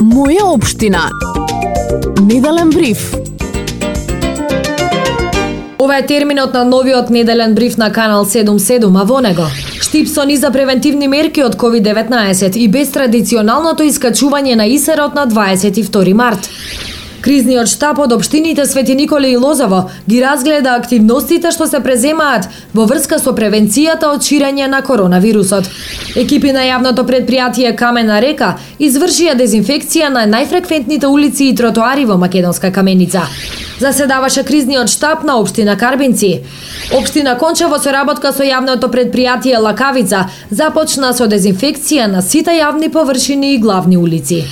Моја општина. Неделен бриф. Ова е терминот на новиот неделен бриф на Канал 77, а во него штип со низа превентивни мерки од COVID-19 и без традиционалното искачување на исерот на 22 март. Кризниот штаб од општините Свети Николе и Лозово ги разгледа активностите што се преземаат во врска со превенцијата од ширење на коронавирусот. Екипи на јавното предпријатие Камена река извршија дезинфекција на најфреквентните улици и тротоари во Македонска Каменица. Заседаваше кризниот штаб на општина Карбинци. Општина Конча во соработка со јавното предпријатие Лакавица започна со дезинфекција на сите јавни површини и главни улици.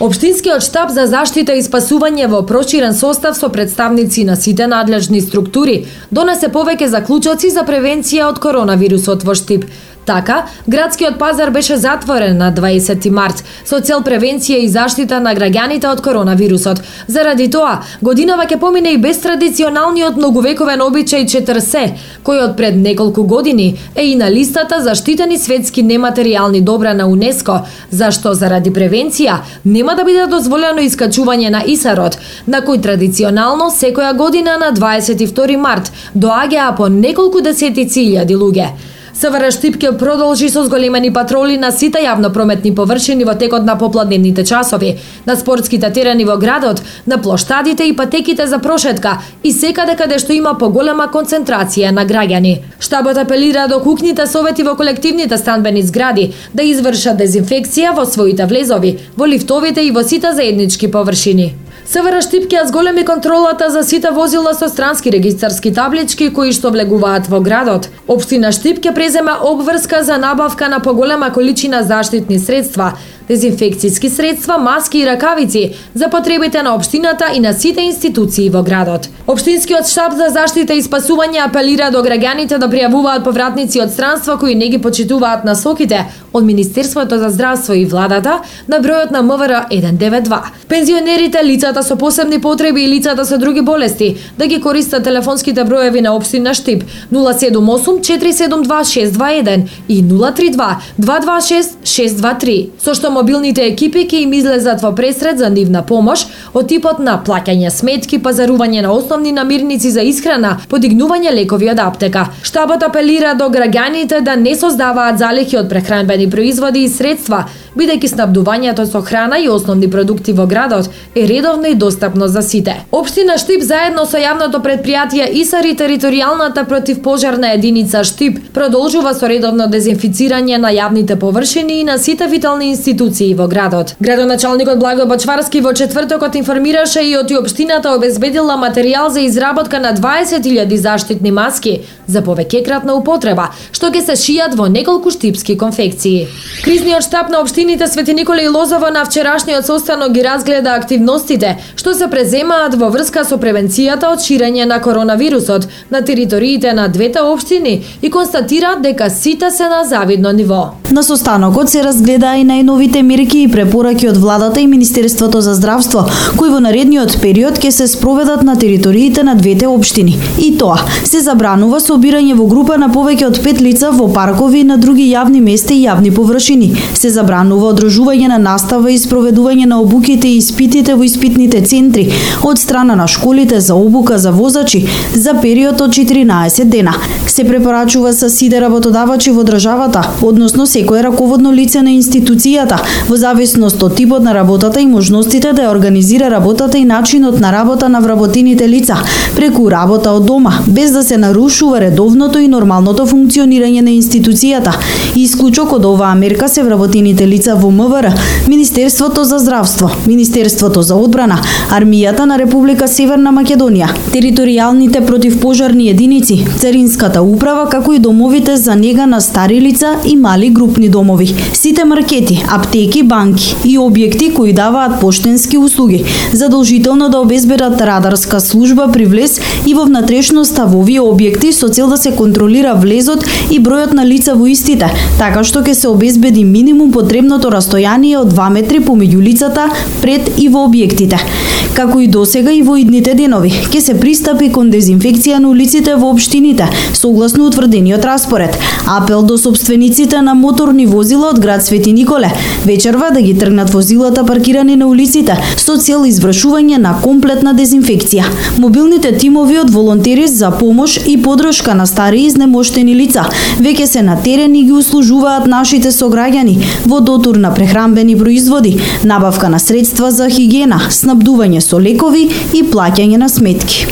Општинскиот штаб за заштита и спасување во проширен состав со представници на сите надлежни структури донесе повеќе заклучоци за превенција од коронавирусот во Штип. Така, градскиот пазар беше затворен на 20 март со цел превенција и заштита на граѓаните од коронавирусот. Заради тоа, годинава ќе помине и без традиционалниот многувековен обичај четрсе, кој од пред неколку години е и на листата заштитени светски нематеријални добра на УНЕСКО, зашто заради превенција нема да биде дозволено искачување на исарот, на кој традиционално секоја година на 22 март доаѓаа по неколку десетици илјади луѓе. СВР Штип ќе продолжи со зголемени патроли на сите јавно-прометни површини во текот на попладневните часови, на спортските терени во градот, на плоштадите и патеките за прошетка и секаде каде што има поголема концентрација на граѓани. Штабот апелира до куќните совети во колективните станбени згради да извршат дезинфекција во своите влезови, во лифтовите и во сите заеднички површини. СВР Штип ќе зголеми контролата за сите возила со странски регистарски таблички кои што влегуваат во градот. Општина Штип ќе презема обврска за набавка на поголема количина заштитни средства, дезинфекцијски средства, маски и ракавици за потребите на општината и на сите институции во градот. Општинскиот штаб за заштита и спасување апелира до граѓаните да пријавуваат повратници од странство кои не ги почитуваат насоките од Министерството за здравство и владата на бројот на МВР 192. Пензионерите, лицата со посебни потреби и лицата со други болести да ги користат телефонските броеви на општина Штип 078 472 621 и 032 226 623, со што мобилните екипи ќе им излезат во пресред за нивна помош од типот на плаќање сметки, пазарување на основни намирници за исхрана, подигнување лекови од аптека. Штабот апелира до граѓаните да не создаваат залихи од прехранбени производи и средства, бидејќи снабдувањето со храна и основни продукти во градот е редовно и достапно за сите. Општина Штип заедно со јавното предпријатие ИСАР и територијалната противпожарна единица Штип продолжува со редовно дезинфицирање на јавните површини и на сите витални институции во градот. Градоначалникот Благој Бочварски во четвртокот информираше и оти општината обезбедила материјал за изработка на 20.000 заштитни маски за повеќекратна употреба, што ќе се шијат во неколку штипски конфекции. Кризниот штаб на општините Свети Николе и Лозово на вчерашниот состанок ги разгледа активностите што се преземаат во врска со превенцијата од ширење на коронавирусот на териториите на двете општини и констатира дека сите се на завидно ниво. На состанокот се разгледа и најновите мерки и препораки од владата и Министерството за здравство, кои во наредниот период ќе се спроведат на териториите на двете општини. И тоа, се забранува собирање во група на повеќе од 5 лица во паркови и на други јавни места и јавни површини. Се забранува одржување на настава и спроведување на обуките и испитите во испитните центри од страна на школите за обука за возачи за период од 14 дена. Се препорачува со сите работодавачи во државата, односно секое раководно лице на институцијата, во зависност од типот на работата и можностите да ја организира работата и начинот на работа на вработените лица, преку работа од дома, без да се нарушува редовното и нормалното функционирање на институцијата. Исклучок од оваа мерка се вработените лица во МВР, Министерството за здравство, Министерството за одбрана, Армијата на Република Северна Македонија, територијалните противпожарни единици, Царинската управа, како и домовите за нега на стари лица и мали групни домови. Сите маркети, аптеки, банки и објекти кои даваат поштенски услуги задолжително да обезбедат радарска служба при влез и во внатрешноста во овие објекти со цел да се контролира влезот и бројот на лица во истите, така што ќе се обезбеди минимум потребното растојание од 2 метри помеѓу лицата пред и во објектите. Како и досега и во идните денови, ќе се пристапи кон дезинфекција на улиците во општините, согласно утврдениот распоред. Апел до сопствениците на моторни возила од град Свети Николе вечерва да ги тргнат возилата паркирани на улиците со цел извршување на комплетна дезинфекција. Мобилните тимови од волонтери за помош и подршка на стари изнемоштени лица веќе се на терен и ги услужуваат нашите сограѓани во дотур на прехранбени производи, набавка на средства за хигиена, снабдување со лекови и плаќање на сметки.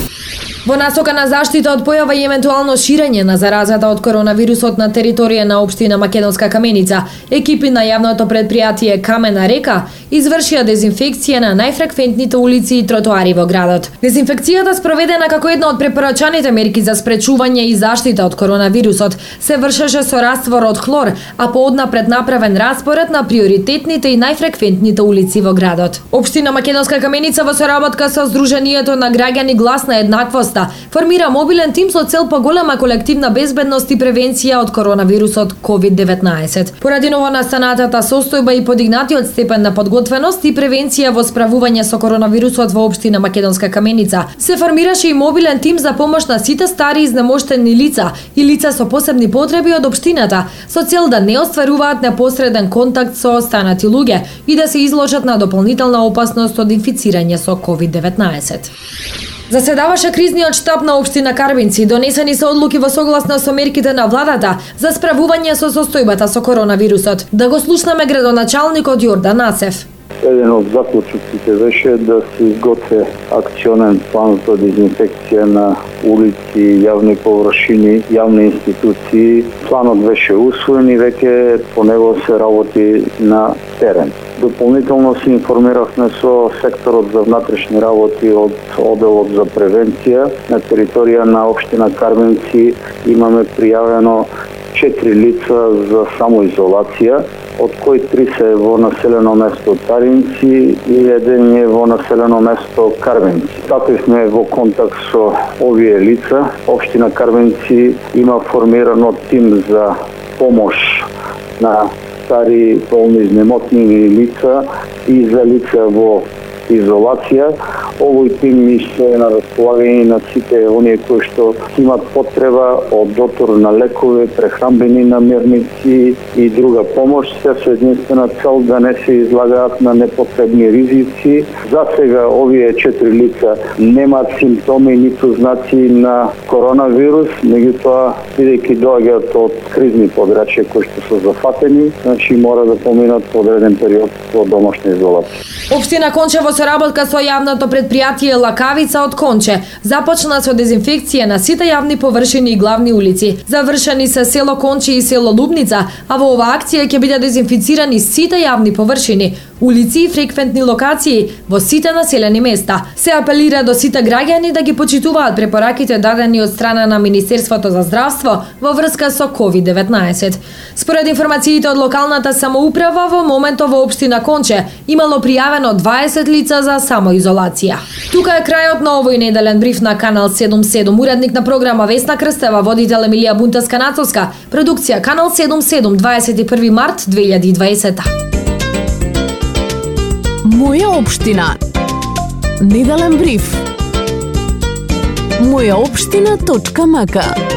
Во насока на заштита од појава и евентуално ширење на заразата од коронавирусот на територија на општина Македонска Каменица, екипи на јавното предпријатие Камена река извршија дезинфекција на најфреквентните улици и тротоари во градот. Дезинфекцијата спроведена како една од препорачаните мерки за спречување и заштита од коронавирусот се вршеше со раствор од хлор, а пооднапред направен распоред на приоритетните и најфреквентните улици во градот. Општина Македонска Каменица во соработка со Сдруженијето на граѓани Глас на еднаквост формира мобилен тим со цел поголема колективна безбедност и превенција од коронавирусот COVID-19. Поради новонастанатата состојба и подигнатиот степен на подготвеност и превенција во справување со коронавирусот во општина Македонска Каменица, се формираше и мобилен тим за помош на сите стари изнемоштени лица и лица со посебни потреби од општината, со цел да не остваруваат непосреден контакт со останати луѓе и да се изложат на дополнителна опасност од инфицирање со COVID-19. Заседаваше кризниот штаб на општина Карбинци, донесени се одлуки во согласно со мерките на владата за справување со состојбата со коронавирусот. Да го слушнеме градоначалникот Јордан Асев. Еден од заклучоците беше да се изготви акционен план за дезинфекција на улици, јавни површини, јавни институции. Планот беше усвоен и веќе по него се работи на терен. Дополнително се информиравме со секторот за внатрешни работи од одделот за превенција. На територија на општина Карбинци имаме пријавено 4 лица за самоизолација, од кои 3 се во населено место Таринци и еден е во населено место Карбинци. Стапивме во контакт со овие лица. Општина Карбинци има формирано тим за помош на стари болни изнемотнени лица и за лица во изолација. Овој тим се на располагање на сите оние кои што имат потреба од дотор на лекови, прехранбени намирници и друга помош, се со единствена цел да не се излагаат на непотребни ризици. За сега овие 4 лица немаат симптоми ниту знаци на коронавирус, меѓутоа бидејќи доаѓаат од кризни подрачја кои што се зафатени, значи мора да поминат одреден период во домашна изолација. Општина Конче во соработка со јавното предпријатие Лакавица од Конче започна со дезинфекција на сите јавни површини и главни улици. Завршени се село Конче и село Лубница, а во оваа акција ќе бидат дезинфицирани сите јавни површини, улици и фреквентни локации во сите населени места. Се апелира до сите граѓани да ги почитуваат препораките дадени од страна на Министерството за здравство во врска со COVID-19. Според информациите од локалната самоуправа, во моментот во општина Конче имало пријавено 20 лица за самоизолација. Тука е крајот на овој неделен бриф на Канал 77. Уредник на програма Весна Крстева, водител Емилија Бунтеска-Нацовска, продукција Канал 77, 21 март 2020. Моја општина. Неделен бриф. Мојаопштина.мк